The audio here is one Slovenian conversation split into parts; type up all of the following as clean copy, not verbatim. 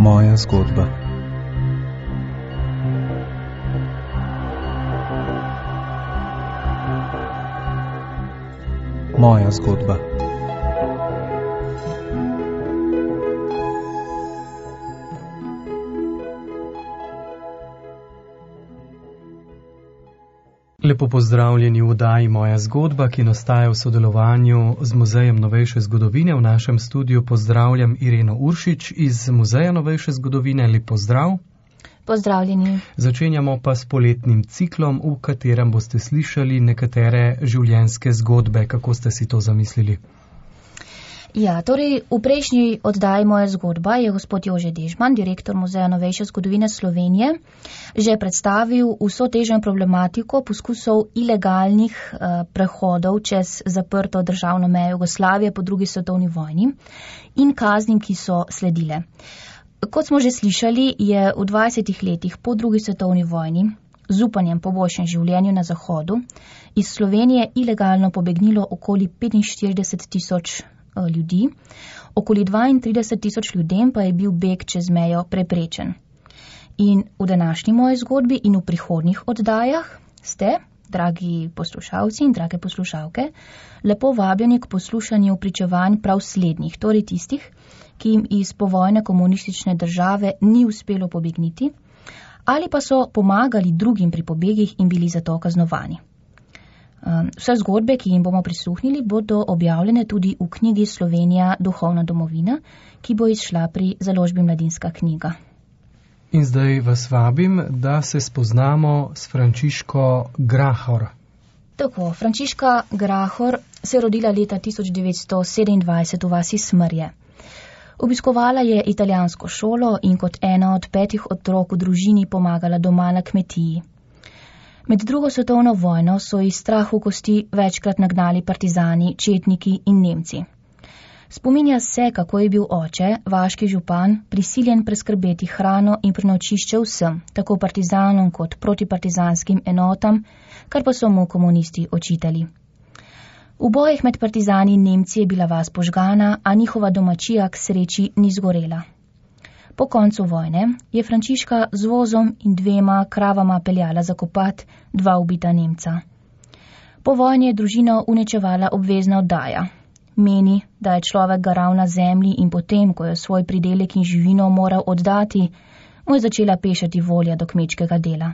Moja zgodba. Moja zgodba. Lepo pozdravljeni v oddaji Moja zgodba, ki nastaja v sodelovanju z Muzejem novejše zgodovine. V našem studiu pozdravljam Ireno Uršič iz Muzeja novejše zgodovine. Lep pozdrav. Pozdravljeni. Začenjamo pa s poletnim ciklom, v katerem boste slišali nekatere življenjske zgodbe. Kako ste si to zamislili? Ja, torej v prejšnji oddaji Moja zgodba je gospod Jože Dežman, direktor Muzeja novejše zgodovine Slovenije, že predstavil vso težjo problematiko poskusov ilegalnih prehodov čez zaprto državno mejo Jugoslavije po drugi svetovni vojni in kaznim, ki so sledile. Kot smo že slišali, je v 20 letih po drugi svetovni vojni z upanjem po boljšem življenju na Zahodu iz Slovenije ilegalno pobegnilo okoli 45.000 ljudi, okoli 32.000 ljudem pa je bil beg čez mejo preprečen. In v današnji moji zgodbi in v prihodnjih oddajah ste, dragi poslušalci in drage poslušalke, lepo vabljeni k poslušanju pričevanj prav slednjih, torej tistih, ki jim iz povojne komunistične države ni uspelo pobegniti, ali pa so pomagali drugim pri pobegih in bili zato kaznovani. Vse zgodbe, ki jim bomo prisluhnili, bodo objavljene tudi v knjigi Slovenija duhovna domovina, ki bo izšla pri založbi Mladinska knjiga. In zdaj vas vabim, da se spoznamo s Frančiško Grahor. Tako, Frančiška Grahor se je rodila leta 1927 v vasi Smrje. Obiskovala je italijansko šolo in kot ena od 5 otrok v družini pomagala doma na kmetiji. Med drugo svetovno vojno so iz strahu kosti večkrat nagnali partizani, četniki in Nemci. Spominja se, kako je bil oče, vaški župan, prisiljen preskrbeti hrano in prenočišče vsem, tako partizanom kot protipartizanskim enotam, kar pa so mu komunisti očitali. V bojih med partizani in Nemci je bila vas požgana, a njihova domačija k sreči ni zgorela. Po koncu vojne je Frančiška z vozom in 2 kravama peljala zakopat 2 ubita Nemca. Po vojni je družino uničevala obvezna oddaja. Meni, da je človek garal na zemlji in potem, ko je svoj pridelek in živino moral oddati, mu je začela pešati volja do kmečkega dela.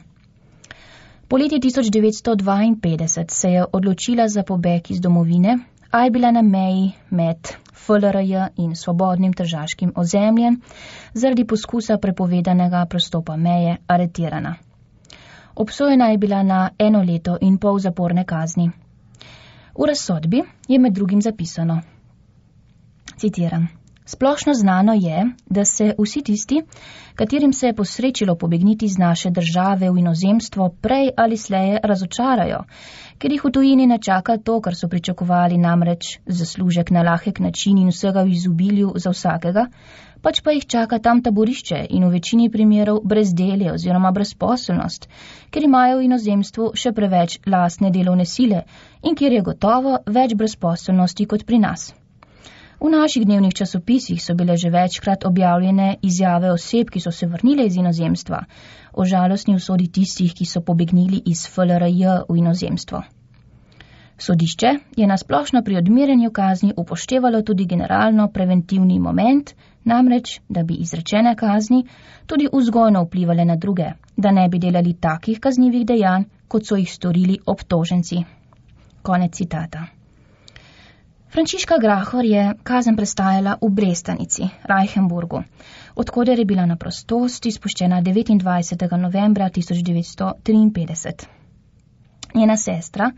Poleti 1952 se je odločila za pobeg iz domovine, a je bila na meji med FLRJ in svobodnim tržaškim ozemljem zaradi poskusa prepovedanega prestopa meje aretirana. Obsojena je bila na 1 leto in pol zaporne kazni. V razsodbi je med drugim zapisano, citiram, splošno znano je, da se vsi tisti, katerim se je posrečilo pobegniti iz naše države v inozemstvo, prej ali sleje razočarajo, ker jih v tujini ne čaka to, kar so pričakovali, namreč zaslužek na lahek način in vsega v izobilju za vsakega, pač pa jih čaka tam taborišče in v večini primerov brezdelje oziroma brezposelnost, ker imajo v inozemstvu še preveč lastne delovne sile in kjer je gotovo več brezposelnosti kot pri nas. V naših dnevnih časopisih so bile že večkrat objavljene izjave oseb, ki so se vrnile iz inozemstva, o žalostni usodi tistih, ki so pobegnili iz FLRJ v inozemstvo. Sodišče je na splošno pri odmerjanju kazni upoštevalo tudi generalno preventivni moment, namreč, da bi izrečene kazni tudi vzgojno vplivale na druge, da ne bi delali takih kaznivih dejanj, kot so jih storili obtoženci. Konec citata. Frančiška Grahor je kazen prestajala v Brestanici, Reichenburgu, odkoder je bila na prostost izpuščena 29. novembra 1953. Njena sestra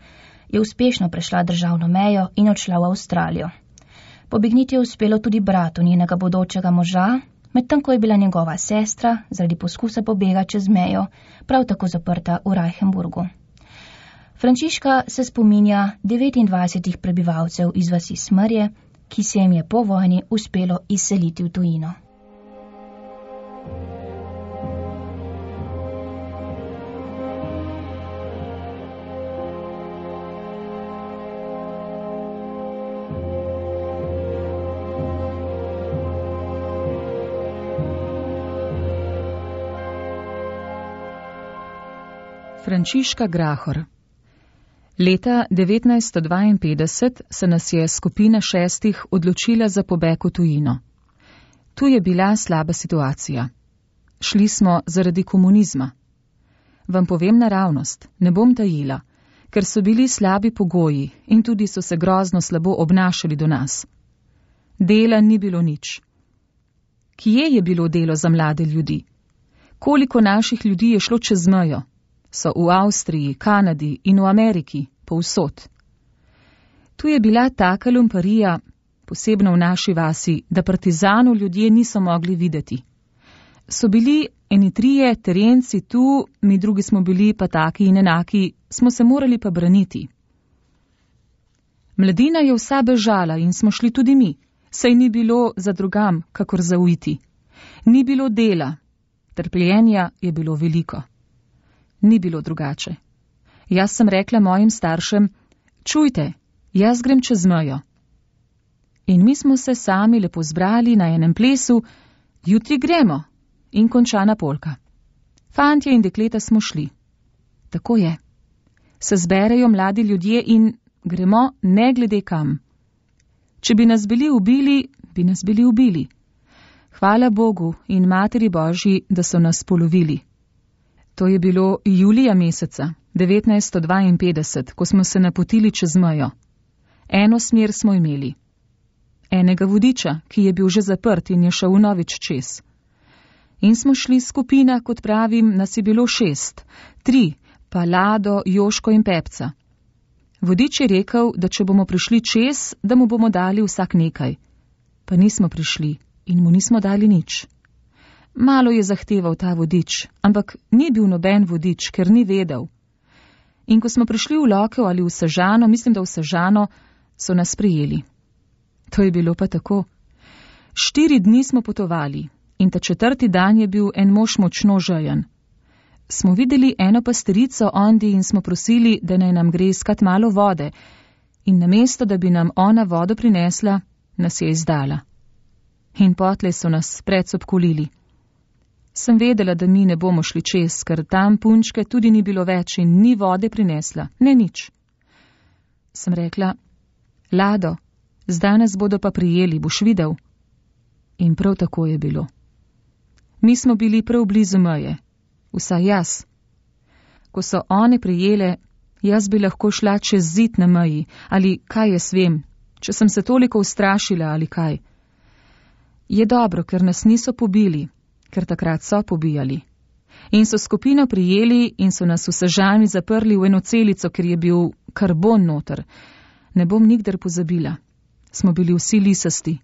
je uspešno prešla državno mejo in odšla v Avstralijo. Pobegniti je uspelo tudi bratu njenega bodočega moža, medtem ko je bila njegova sestra zaradi poskusa pobega čez mejo prav tako zaprta v Reichenburgu. Frančiška se spominja 29 prebivalcev iz vasi Smrje, ki se jim je po vojni uspelo izseliti v tujino. Frančiška Grahor. Leta 1952 se nas je skupina 6 odločila za pobeg v tujino. Tu je bila slaba situacija. Šli smo zaradi komunizma. Vam povem naravnost, ne bom tajila, ker so bili slabi pogoji in tudi so se grozno slabo obnašali do nas. Dela ni bilo nič. Kje je bilo delo za mlade ljudi? Koliko naših ljudi je šlo čez mejo? So v Avstriji, Kanadi in v Ameriki, povsod. Tu je bila taka lumparija, posebno v naši vasi, da partizanov ljudje niso mogli videti. So bili eni 3 terenci tu, mi drugi smo bili pa taki in enaki, smo se morali pa braniti. Mladina je vsa bežala in smo šli tudi mi, saj ni bilo za drugam, kakor za uiti. Ni bilo dela, trpljenja je bilo veliko. Ni bilo drugače. Jaz sem rekla mojim staršem, čujte, jaz grem čez mejo. In mi smo se sami lepo zbrali na enem plesu, jutri gremo, in končana polka. Fantje in dekleta smo šli. Tako je. Se zberejo mladi ljudje in gremo ne glede kam. Če bi nas bili ubili, bi nas bili ubili. Hvala Bogu in Materi Božji, da so nas polovili. To je bilo julija meseca 1952, ko smo se napotili čez mejo. Eno smer smo imeli. Enega vodiča, ki je bil že zaprt in je šel vnovič čez. In smo šli skupina, kot pravim, nas je bilo 6, 3, pa Lado, Joško in Pepca. Vodič je rekel, da če bomo prišli čez, da mu bomo dali vsak nekaj. Pa nismo prišli in mu nismo dali nič. Malo je zahteval ta vodič, ampak ni bil noben vodič, ker ni vedel. In ko smo prišli v Lokev ali v Sežano, mislim, da v Sežano, so nas prijeli. To je bilo pa tako. 4 dni smo potovali in ta 4. dan je bil en mož močno žejen. Smo videli eno pasterico ondi in smo prosili, da naj nam gre iskat malo vode, in namesto, da bi nam ona vodo prinesla, nas je izdala. In potlej so nas predsobkolili. Sem vedela, da mi ne bomo šli čez, ker tam punčke tudi ni bilo več in ni vode prinesla, ne nič. Sem rekla, Lado, zdaj nas bodo pa prijeli, boš videl. In prav tako je bilo. Mi smo bili prav blizu meje, vsaj jaz. Ko so one prijele, jaz bi lahko šla čez zid na meji, ali kaj jaz vem, če sem se toliko ustrašila ali kaj. Je dobro, ker nas niso pobili, ker takrat so pobijali. In so skupino prijeli in so nas v Sežani zaprli v eno celico, ker je bil karbon noter. Ne bom nikdar pozabila. Smo bili vsi lisasti.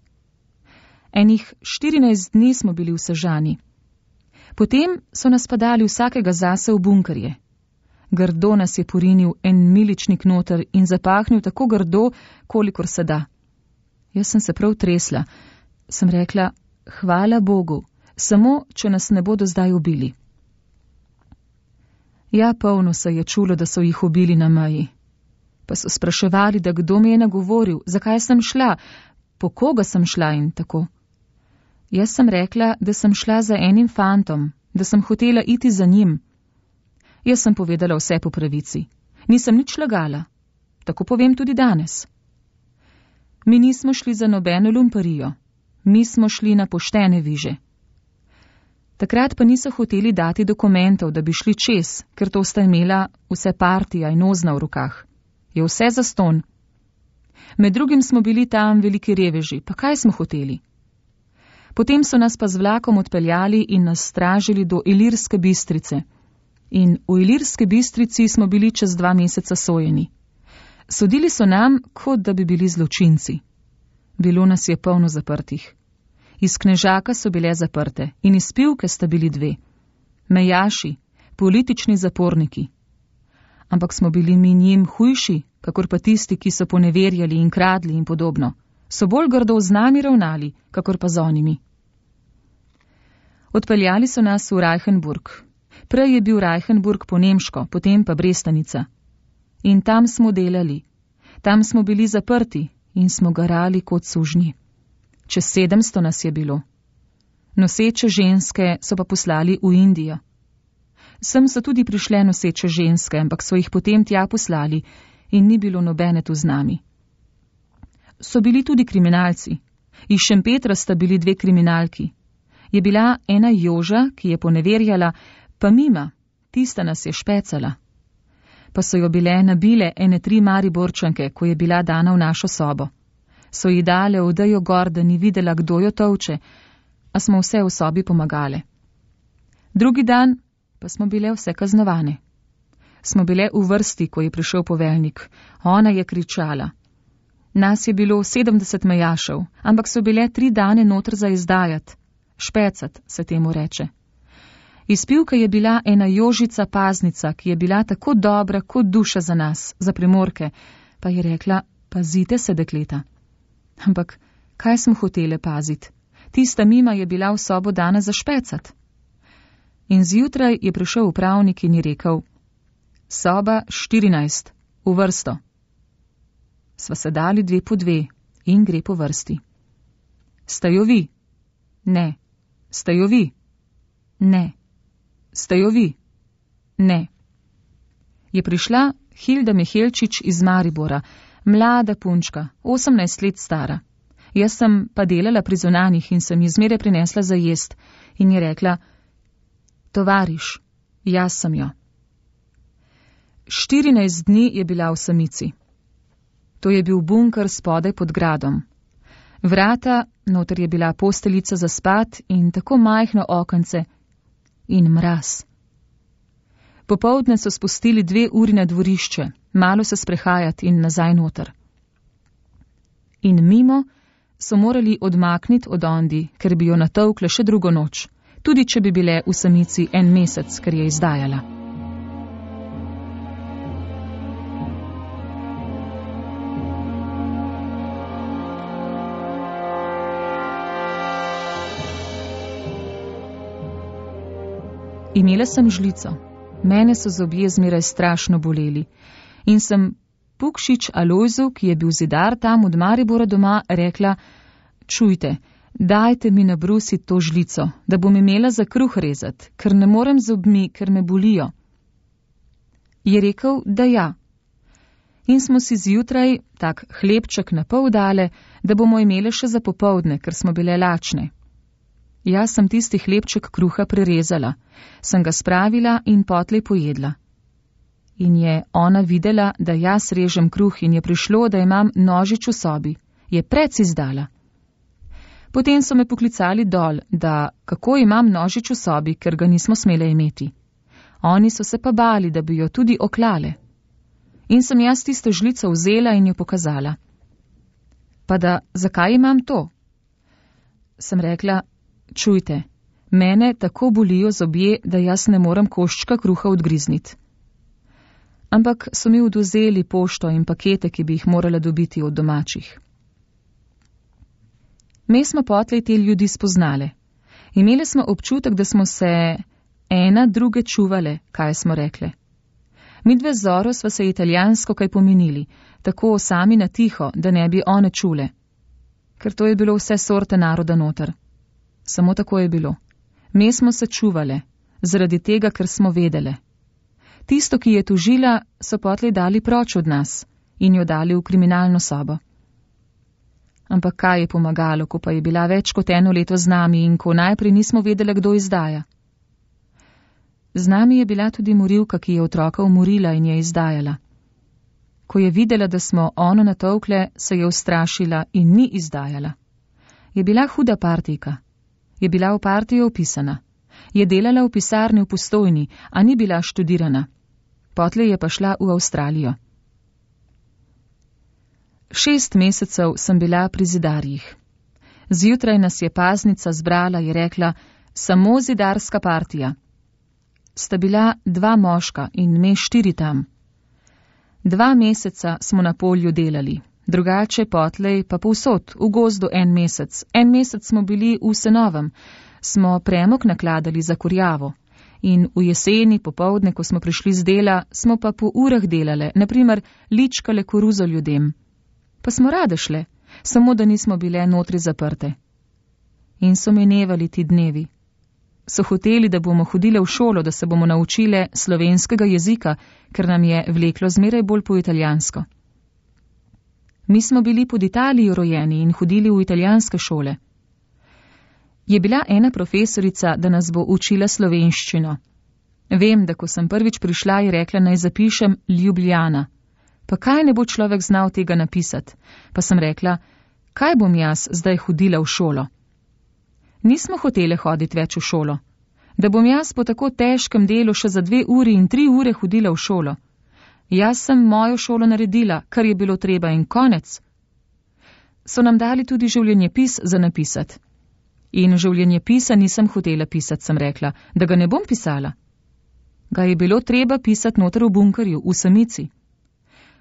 Enih 14 dni smo bili v Sežani. Potem so nas pa dali vsakega zase v bunkerje. Grdo nas je porinil en miličnik noter in zapahnil tako grdo, kolikor se da. Jaz sem se prav tresla. Sem rekla, hvala Bogu, samo če nas ne bodo zdaj ubili. Ja, polno se je čulo, da so jih ubili na meji. Pa so spraševali, da kdo mi je nagovoril, zakaj sem šla, po koga sem šla in tako. Jaz sem rekla, da sem šla za enim fantom, da sem hotela iti za njim. Jaz sem povedala vse po pravici. Nisem nič lagala. Tako povem tudi danes. Mi nismo šli za nobeno lumparijo. Mi smo šli na poštene viže. Takrat pa niso hoteli dati dokumentov, da bi šli čez, ker to sta imela vse partija in ozna v rokah. Je vse zastonj. Med drugim smo bili tam veliki reveži, pa kaj smo hoteli? Potem so nas pa z vlakom odpeljali in nas stražili do Ilirske Bistrice. In v Ilirske Bistrici smo bili čez 2 meseca sojeni. Sodili so nam, kot da bi bili zločinci. Bilo nas je polno zaprtih. Iz Knežaka so bile zaprte in iz Pivke sta bili 2. Mejaši, politični zaporniki. Ampak smo bili mi njim hujši, kakor pa tisti, ki so poneverjali in kradli in podobno. So bolj grdo z nami ravnali, kakor pa z onimi. Odpeljali so nas v Reichenburg. Prej je bil Reichenburg po nemško, potem pa Brestanica. In tam smo delali. Tam smo bili zaprti in smo garali kot sužnji. Čez 700 nas je bilo. Noseče ženske so pa poslali v Indijo. Sem so tudi prišle noseče ženske, ampak so jih potem tja poslali in ni bilo nobene tu z nami. So bili tudi kriminalci. Iz Šempetra sta bili 2 kriminalki. Je bila ena Joža, ki je poneverjala, pa Mima, tista nas je špecala. Pa so jo bile nabile ene 3 Mariborčanke, ko je bila dana v našo sobo. So ji dale odejo gor, da ni videla, kdo jo tolče, a smo vse v sobi pomagale. Drugi dan pa smo bile vse kaznovane. Smo bile v vrsti, ko je prišel poveljnik. Ona je kričala. Nas je bilo 70 mejašev, ampak so bile 3 dane notr za izdajat. Špecat se temu reče. Izpivka je bila ena Jožica Paznica, ki je bila tako dobra kot duša za nas, za Primorke, pa je rekla, pazite se, dekleta. Ampak kaj smo hotele paziti? Tista Mima je bila v sobo dana za špecat. In zjutraj je prišel upravnik in je rekel, soba 14, v vrsto. Sva se dali 2 po 2 in gre po vrsti. Stajo vi? Ne. Stajo vi? Ne. Stajo vi? Ne. Je prišla Hilda Mihelčič iz Maribora, mlada punčka, 18 let stara. Jaz sem pa delala pri zunanjih in sem ji zmeraj prinesla za jest in je rekla, tovariš, jaz sem jo. 14 dni je bila v samici. To je bil bunker spodaj pod gradom. Vrata, noter je bila posteljica za spat in tako majhno okence in mraz. Popoldne so spustili 2 uri na dvorišče, malo se sprehajati in nazaj noter. In mimo so morali odmakniti od Ondi, ker bi jo natolkle še drugo noč, tudi če bi bile v samici 1 mesec, ker je izdajala. Imela sem žlico, mene so zobje zmeraj strašno boleli in sem Pukšič Alojzu, ki je bil zidar tam od Maribora doma, rekla, čujte, dajte mi nabrusiti to žlico, da bom imela za kruh rezati, ker ne morem zobmi, ker me bolijo. Je rekel, da ja. In smo si zjutraj tak hlebček na pol dale, da bomo imele še za popoldne, ker smo bile lačne. Jaz sem tisti hlebček kruha prerezala, sem ga spravila in potlej pojedla. In je ona videla, da jaz režem kruh in je prišlo, da imam nožič v sobi. Je prec izdala. Potem so me poklicali dol, da kako imam nožič v sobi, ker ga nismo smele imeti. Oni so se pa bali, da bi jo tudi oklale. In sem jaz tisto žlico vzela in jo pokazala. Pa da, zakaj imam to? Sem rekla, čujte, mene tako bolijo zobje, da jaz ne morem koščka kruha odgrizniti. Ampak so mi odvzeli pošto in pakete, ki bi jih morala dobiti od domačih. Me smo potlej te ljudi spoznale. Imeli smo občutek, da smo se ena druge čuvale, kaj smo rekle. Midve z Zoro sva se italijansko kaj pomenili, tako sami na tiho, da ne bi one čule. Ker to je bilo vse sorte naroda noter. Samo tako je bilo. Me smo se čuvale, zaradi tega, ker smo vedele. Tisto, ki je tužila, so potlej dali proč od nas in jo dali v kriminalno sobo. Ampak kaj je pomagalo, ko pa je bila več kot 1 leto z nami in ko najprej nismo vedele, kdo izdaja? Z nami je bila tudi morilka, ki je otroka umorila in je izdajala. Ko je videla, da smo ono natolkle, se je ustrašila in ni izdajala. Je bila huda partijka. Je bila v partijo opisana. Je delala v pisarni v Postojni, a ni bila študirana. Potlej je pa šla v Avstralijo. 6 mesecev sem bila pri zidarjih. Zjutraj nas je paznica zbrala, je rekla, samo zidarska partija. Sta bila 2 moška in me 4 tam. 2 meseca smo na polju delali, drugače potlej pa povsod, v gozdu 1 mesec. 1 mesec smo bili v Senovem, smo premog nakladali za kurjavo. In v jeseni, popoldne, ko smo prišli z dela, smo pa po urah delale, naprimer ličkale koruzo ljudem. Pa smo rade šle, samo da nismo bile notri zaprte. In so minevali ti dnevi. So hoteli, da bomo hodile v šolo, da se bomo naučile slovenskega jezika, ker nam je vleklo zmeraj bolj po italijansko. Mi smo bili pod Italijo rojeni in hodili v italijanske šole. Je bila ena profesorica, da nas bo učila slovenščino. Vem, da ko sem prvič prišla, je rekla, naj zapišem Ljubljana. Pa kaj ne bo človek znal tega napisati? Pa sem rekla, kaj bom jaz zdaj hodila v šolo? Nismo hotele hoditi več v šolo. Da bom jaz po tako težkem delu še za 2 uri in 3 ure hodila v šolo. Jaz sem mojo šolo naredila, kar je bilo treba in konec. So nam dali tudi življenjepis za napisati. In življenjepisa nisem hotela pisati, sem rekla, da ga ne bom pisala. Ga je bilo treba pisati noter v bunkerju, v samici.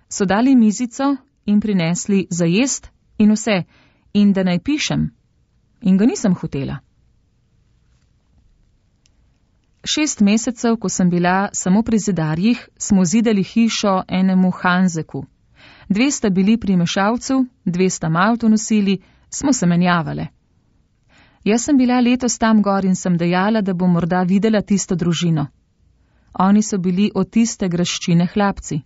So dali mizico in prinesli za jest in vse, in da naj pišem. In ga nisem hotela. 6 mesecev, ko sem bila samo pri zidarjih, smo zidali hišo enemu Hanzeku. 2 sta bili pri mešalcu, 2 sta malto nosili, smo se menjavale. Jaz sem bila letos tam gor in sem dejala, da bom morda videla tisto družino. Oni so bili od tiste graščine hlapci.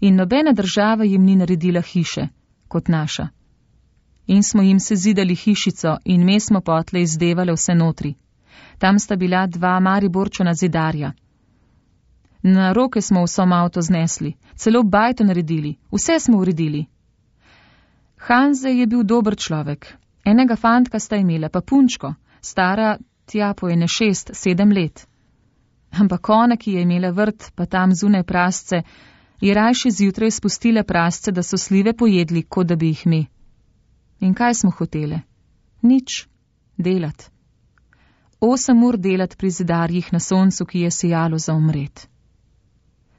In nobena država jim ni naredila hiše, kot naša. In smo jim se zidali hišico in me smo potle izdevale vse notri. Tam sta bila 2 Mariborčana zidarja. Na roke smo vso avto znesli, celo bajto naredili, vse smo uredili. Hanze je bil dober človek. Enega fantka sta imela, pa punčko, stara tja po 6-7 let. Ampak ona, ki je imela vrt, pa tam zunaj prasce, je rajši zjutraj spustila prasce, da so slive pojedli, kot da bi jih mi. In kaj smo hotele? Nič. Delat. 8 ur delat pri zidarjih na soncu, ki je sijalo za umret.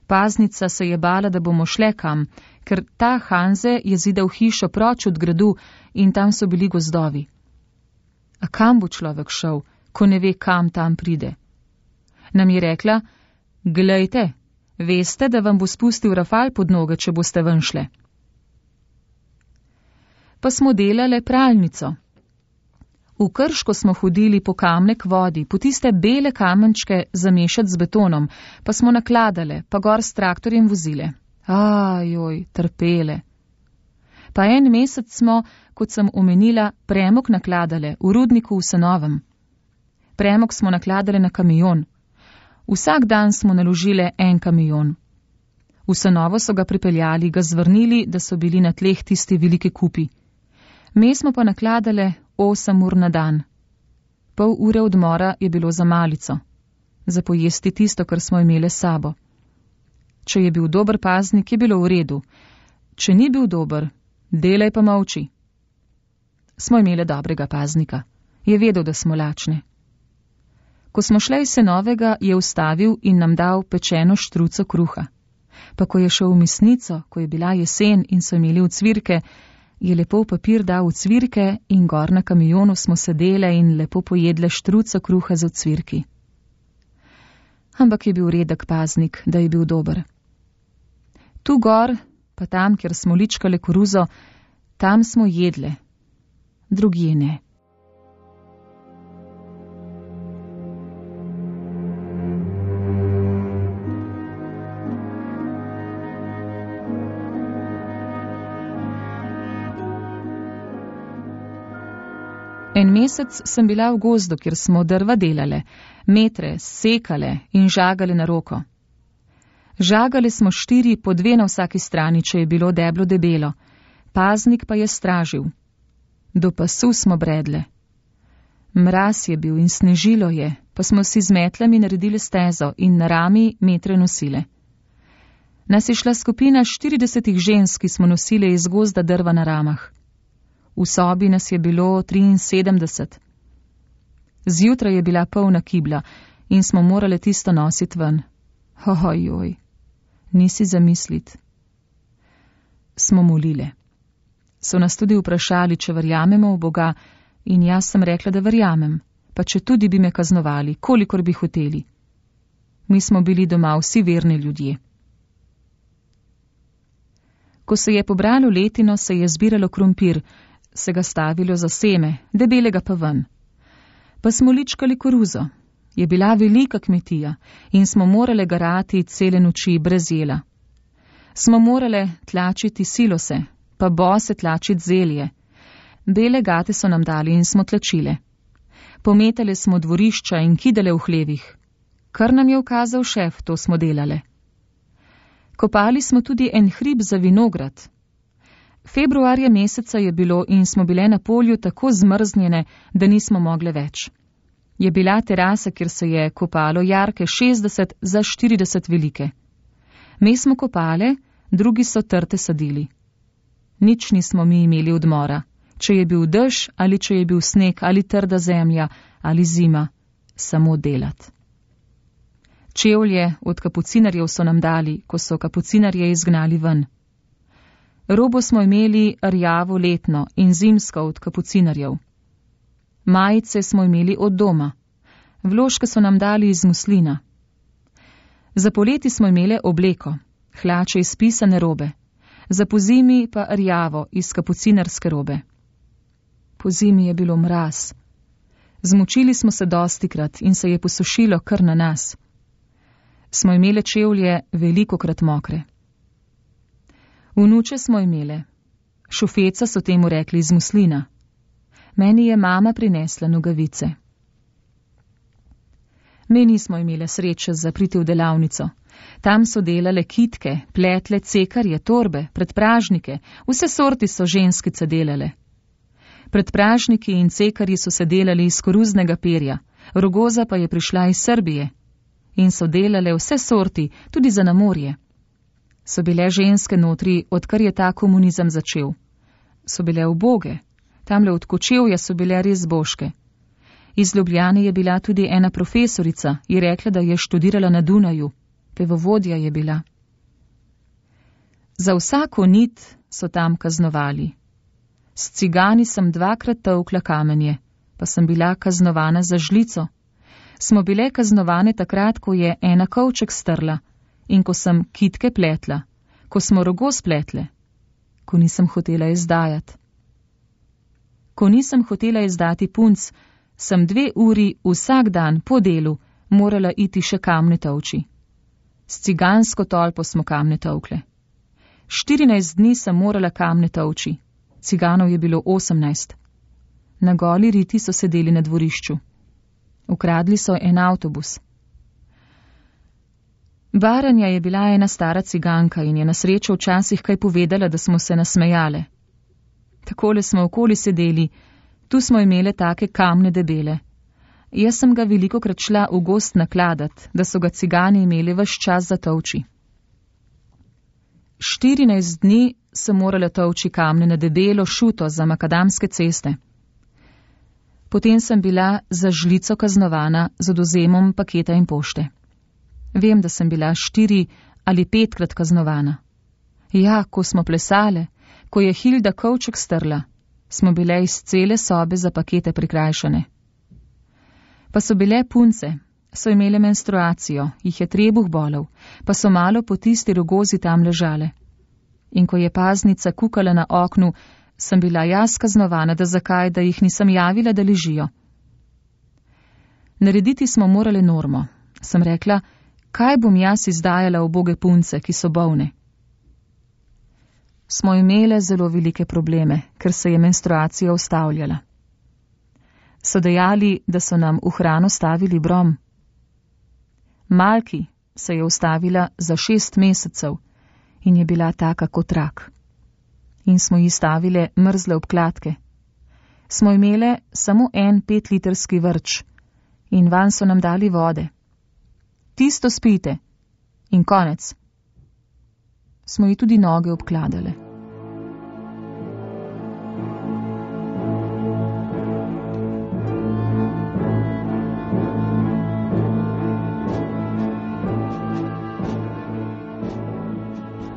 Paznica se je bala, da bomo šle kam, ker ta Hanze je zidal hišo proč od gradu in tam so bili gozdovi. A kam bo človek šel, ko ne ve, kam tam pride? Nam je rekla, glejte, veste, da vam bo spustil rafal pod noge, če boste ven šle. Pa smo delale pralnico. V Krško smo hodili po kamne k vodi, po tiste bele kamenčke zamešati z betonom, pa smo nakladale, pa gor s traktorjem vozile. Ajoj, trpele. Pa 1 mesec smo, kot sem omenila, premog nakladale v rudniku v Senovem. Premog smo nakladale na kamion. Vsak dan smo naložile 1 kamion. V Senovo so ga pripeljali, ga zvrnili, da so bili na tleh tisti velike kupi. Me smo pa nakladale 8 ur na dan. Pol ure odmora je bilo za malico. Za pojesti tisto, kar smo imele s sabo. Če je bil dober paznik, je bilo v redu. Če ni bil dober, delaj pa molči. Smo imele dobrega paznika. Je vedel, da smo lačne. Ko smo šle iz Senovega, je ustavil in nam dal pečeno štruco kruha. Pa ko je šel v mesnico, ko je bila jesen in so imeli ucvirke, je lepo v papir dal ucvirke in gor na kamionu smo sedele in lepo pojedle štruco kruha z ucvirki. Ampak je bil redek paznik, da je bil dober. Tu gor, pa tam, kjer smo ličkale koruzo, tam smo jedle. Drugje ne. En mesec sem bila v gozdu, kjer smo drva delale, metre sekale in žagale na roko. Žagale smo 4 po 2 na vsaki strani, če je bilo deblo debelo. Paznik pa je stražil. Do pasu smo bredle. Mraz je bil in snežilo je, pa smo si z metlami naredili stezo in na rami metre nosile. Nas je šla skupina 40 žensk, ki smo nosile iz gozda drva na ramah. V sobi nas je bilo 73. Zjutraj je bila polna kibla in smo morali tisto nositi ven. Ojoj, nisi zamislit. Smo molile. So nas tudi vprašali, če verjamemo v Boga, in jaz sem rekla, da verjamem, pa če tudi bi me kaznovali, kolikor bi hoteli. Mi smo bili doma vsi verni ljudje. Ko se je pobralo letino, se je zbiralo krompir, se ga stavilo za seme, debelega pa ven. Pa smo ličkali koruzo, Je bila velika kmetija in smo morale garati cele noči brez jela. Smo morale tlačiti silose, pa bose tlačiti zelje. Bele gate so nam dali in smo tlačile. Pometale smo dvorišča in kidale v hlevih. Kar nam je ukazal šef, to smo delale. Kopali smo tudi en hrib za vinograd. Februarja meseca je bilo in smo bile na polju tako zmrznjene, da nismo mogle več. Je bila terasa, kjer se je kopalo jarke 60 za 40 velike. Mi smo kopale, drugi so trte sadili. Nič nismo mi imeli odmora, če je bil dež ali če je bil sneg ali trda zemlja ali zima, samo delat. Čevlje od kapucinarjev so nam dali, ko so kapucinarje izgnali ven. Robo smo imeli rjavo letno in zimsko od kapucinarjev. Majice smo imeli od doma. Vložke so nam dali iz muslina. Za poleti smo imeli obleko, hlače iz pisane robe, za pozimi pa rjavo iz kapucinarske robe. Po zimi je bilo mraz. Zmočili smo se dostikrat in se je posušilo kar na nas. Smo imeli čevlje velikokrat mokre. Vnuče smo imele. Šufeca so temu rekli iz muslina. Meni je mama prinesla nogavice. Mi nismo imele sreče za priti v delavnico. Tam so delale kitke, pletle, cekarje, torbe, predpražnike, vse sorti so ženskice delale. Predpražniki in cekarji so se delali iz koruznega perja, rogoza pa je prišla iz Srbije. In so delale vse sorti, tudi za na morje. So bile ženske notri, odkar je ta komunizem začel. So bile uboge, tamle od Kočevja so bile res božke. Iz Ljubljane je bila tudi ena profesorica, je rekla, da je študirala na Dunaju, pevovodja je bila. Za vsako nit so tam kaznovali. S cigani sem 2krat tolkla kamenje, pa sem bila kaznovana za žlico. Smo bile kaznovane takrat, ko je ena kovček strla in ko sem kitke pletla, ko smo rogo spletle, ko nisem hotela izdajati. Ko nisem hotela izdati punc, sem 2 uri vsak dan po delu morala iti še kamne tolči. S cigansko tolpo smo kamne tolkle. 14 dni sem morala kamne tolči, ciganov je bilo 18. Na goli riti so sedeli na dvorišču. Ukradli so en avtobus. Baranja je bila ena stara ciganka in je na srečo včasih kaj povedala, da smo se nasmejale. Takole smo okoli sedeli, tu smo imele take kamne debele. Jaz sem ga velikokrat šla v gost nakladat, da so ga cigani imeli ves čas za tolči. 14 dni sem morala tolči kamne na debelo šuto za makadamske ceste. Potem sem bila za žlico kaznovana z odvzemom paketa in pošte. Vem, da sem bila 4 ali 5krat kaznovana. Ja, ko smo plesale, ko je Hilda kovček strla, smo bile iz cele sobe za pakete prikrajšane. Pa so bile punce, so imele menstruacijo, jih je trebuh bolel, pa so malo po tisti rogozi tam ležale. In ko je paznica kukala na oknu, sem bila jaz kaznovana, da zakaj, da jih nisem javila, da ležijo. Narediti smo morali normo. Sem rekla, kaj bom jaz izdajala uboge punce, ki so bolne. Smo imele zelo velike probleme, ker se je menstruacija ustavljala. So dejali, da so nam v hrano stavili brom. Malki se je ustavila za 6 mesecev in je bila taka kot rak. In smo ji stavile mrzle obkladke. Smo imele samo en 5-litrski vrč in van so nam dali vode. Tisto spite in konec. Smo ji tudi noge obkladale.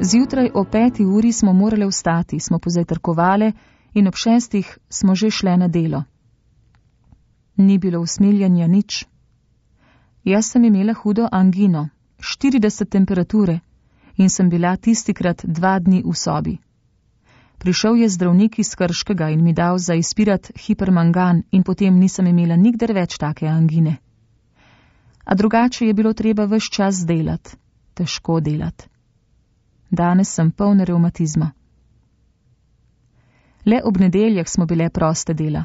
Zjutraj o 5. uri smo morale vstati, smo pozajtrkovale in ob 6. smo že šle na delo. Ni bilo usmiljanja nič. Jaz sem imela hudo angino, 40 temperature in sem bila tistikrat 2 dni v sobi. Prišel je zdravnik iz Krškega in mi dal za izpirat hipermangan in potem nisem imela nikdar več take angine. A drugače je bilo treba ves čas delati, težko delati. Danes sem poln revmatizma. Le ob nedeljah smo bile proste dela.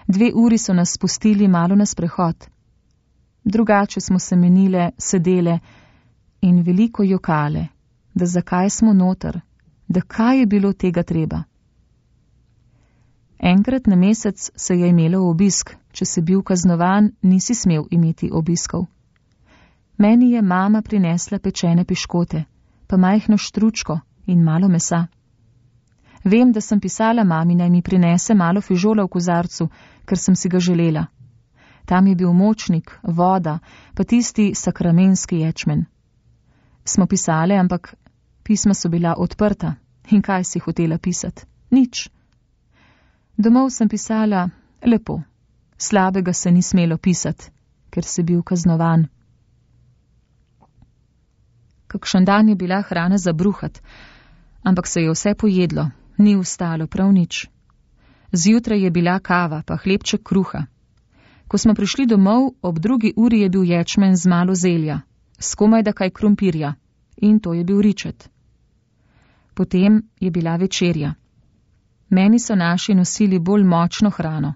2 uri so nas spustili malo na sprehod. Drugače smo se menile, sedele in veliko jokale, da zakaj smo noter, da kaj je bilo tega treba. Enkrat na mesec se je imelo obisk, če si bil kaznovan, nisi smel imeti obiskov. Meni je mama prinesla pečene piškote, pa majhno štručko in malo mesa. Vem, da sem pisala mami, naj mi prinese malo fižola v kozarcu, ker sem si ga želela. Tam je bil močnik, voda, pa tisti sakramenski ječmen. Smo pisale, ampak pisma so bila odprta. In kaj si hotela pisati? Nič. Domov sem pisala lepo. Slabega se ni smelo pisati, ker si bil kaznovan. Kakšen dan je bila hrana za bruhat, ampak se je vse pojedlo, ni ostalo prav nič. Zjutraj je bila kava, pa hlebček kruha. Ko smo prišli domov, ob 2. uri je bil ječmen z malo zelja, skomaj da kaj krompirja, in to je bil ričet. Potem je bila večerja. Meni so naši nosili bolj močno hrano.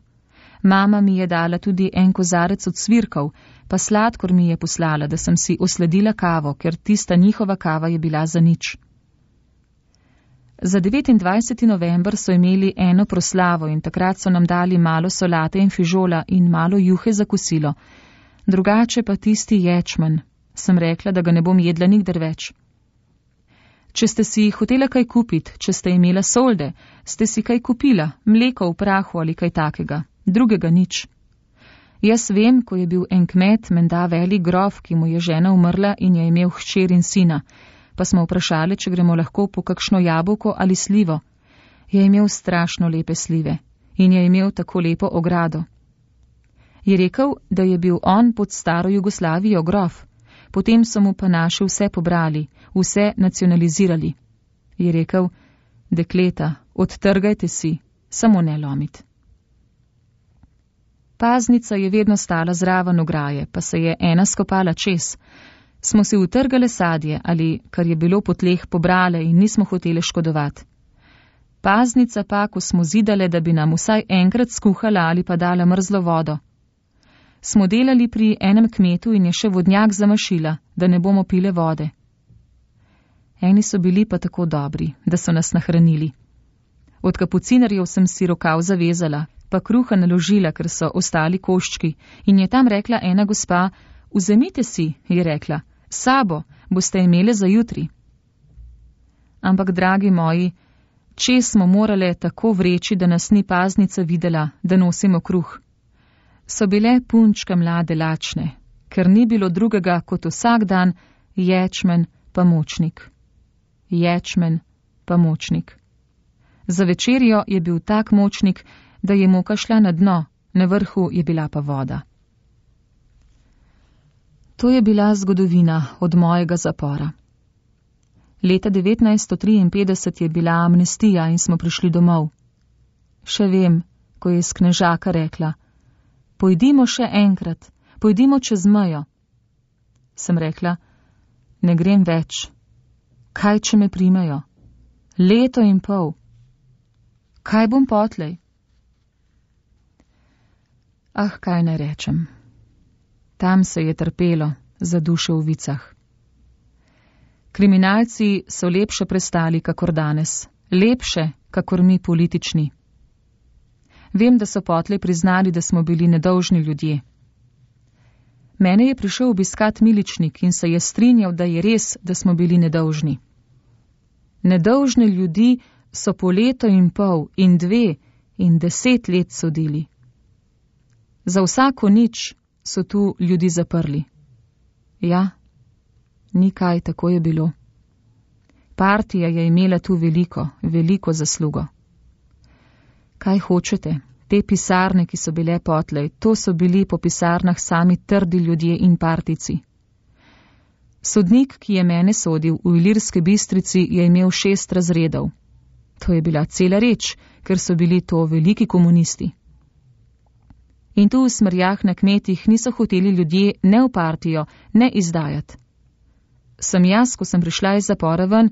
Mama mi je dala tudi en kozarec od svirkov, pa sladkor mi je poslala, da sem si osledila kavo, ker tista njihova kava je bila za nič. Za 29. november so imeli eno proslavo in takrat so nam dali malo solate in fižola in malo juhe za kosilo. Drugače pa tisti ječmen. Sem rekla, da ga ne bom jedla nikdar več. Če ste si hotela kaj kupiti, če ste imela solde, ste si kaj kupila, mleko v prahu ali kaj takega, drugega nič. Jaz vem, ko je bil en kmet, menda velik grof, ki mu je žena umrla in je imel hčer in sina, pa smo vprašali, če gremo lahko po kakšno jabolko ali slivo. Je imel strašno lepe slive in je imel tako lepo ogrado. Je rekel, da je bil on pod staro Jugoslavijo grof, potem so mu pa naši vse pobrali, vse nacionalizirali. Je rekel, dekleta, odtrgajte si, samo ne lomit. Paznica je vedno stala zraven ograje, pa se je ena skopala čez. Smo si utrgale sadje ali, kar je bilo po tleh, pobrale in nismo hoteli škodovati. Paznica pa, ko smo zidale, da bi nam vsaj enkrat skuhala ali pa dala mrzlo vodo. Smo delali pri enem kmetu in je še vodnjak zamašila, da ne bomo pile vode. Eni so bili pa tako dobri, da so nas nahranili. Od kapucinarjev sem si rokav zavezala, pa kruha naložila, ker so ostali koščki, in je tam rekla ena gospa, vzemite si, je rekla, sabo boste imele za jutri. Ampak, dragi moji, če smo morale tako vreči, da nas ni paznica videla, da nosimo kruh. So bile punčke mlade lačne, ker ni bilo drugega kot vsak dan ječmen pa močnik. Ječmen pa močnik. Za večerjo je bil tak močnik, da je moka šla na dno, na vrhu je bila pa voda. To je bila zgodovina od mojega zapora. Leta 1953 je bila amnestija in smo prišli domov. Še vem, ko je iz Knežaka rekla, pojdimo še enkrat, pojdimo čez mejo. Sem rekla, ne grem več. Kaj, če me primejo? 1,5 leta. Kaj bom potlej? Ah, kaj naj rečem. Tam se je trpelo za duše v vicah. Kriminalci so lepše prestali, kakor danes. Lepše, kakor mi politični. Vem, da so potlej priznali, da smo bili nedolžni ljudje. Mene je prišel obiskat miličnik in se je strinjal, da je res, da smo bili nedolžni. Nedolžne ljudi so po 1,5 leta in 2 in 10 let sodili. Za vsako nič so tu ljudi zaprli. Ja, ni kaj, tako je bilo. Partija je imela tu veliko zaslugo. Kaj hočete? Te pisarne, ki so bile potlej, to so bili po pisarnah sami trdi ljudje in partijci. Sodnik, ki je mene sodil v Ilirski Bistrici, je imel 6 razredov. To je bila cela reč, ker so bili to veliki komunisti. In tu v smrjah na kmetih niso hoteli ljudje ne v partijo, ne izdajati. Sem jaz, ko sem prišla iz zapora ven,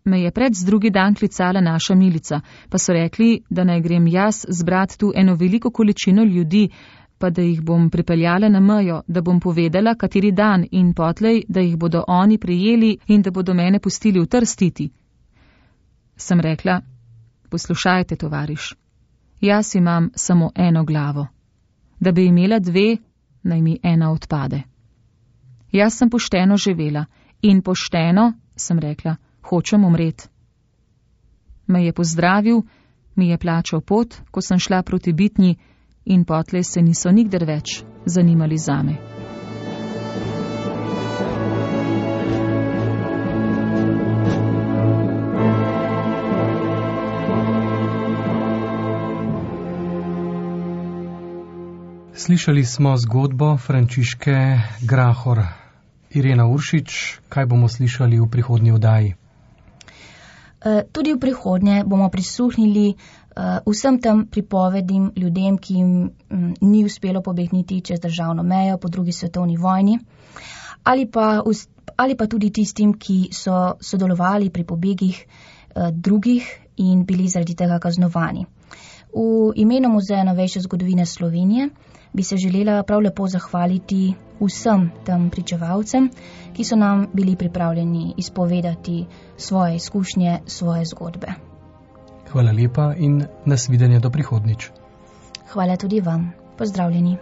me je pred drugi dan klicala naša milica, pa so rekli, da naj grem jaz zbrat tu eno veliko količino ljudi, pa da jih bom pripeljala na mejo, da bom povedala, kateri dan in potlej, da jih bodo oni prijeli in da bodo mene pustili v Trstiti. Sem rekla, poslušajte, tovariš, jaz imam samo eno glavo. Da bi imela dve, naj mi ena odpade. Jaz sem pošteno živela in pošteno, sem rekla, hočem umret. Me je pozdravil, mi je plačal pot, ko sem šla proti Bitnji, in potlej se niso nikdar več zanimali zame. Slišali smo zgodbo Frančiške Grahor. Irena Uršič, kaj bomo slišali v prihodnji oddaji? Tudi v prihodnje bomo prisluhnili vsem tem pripovedim ljudem, ki jim ni uspelo pobegniti čez državno mejo po drugi svetovni vojni, ali pa tudi tistim, ki so sodelovali pri pobegih drugih in bili zaradi tega kaznovani. V imenu Muzeja novejše zgodovine Slovenije bi se želela prav lepo zahvaliti vsem tem pričevalcem, ki so nam bili pripravljeni izpovedati svoje izkušnje, svoje zgodbe. Hvala lepa in nasvidenje do prihodnjič. Hvala tudi vam. Pozdravljeni.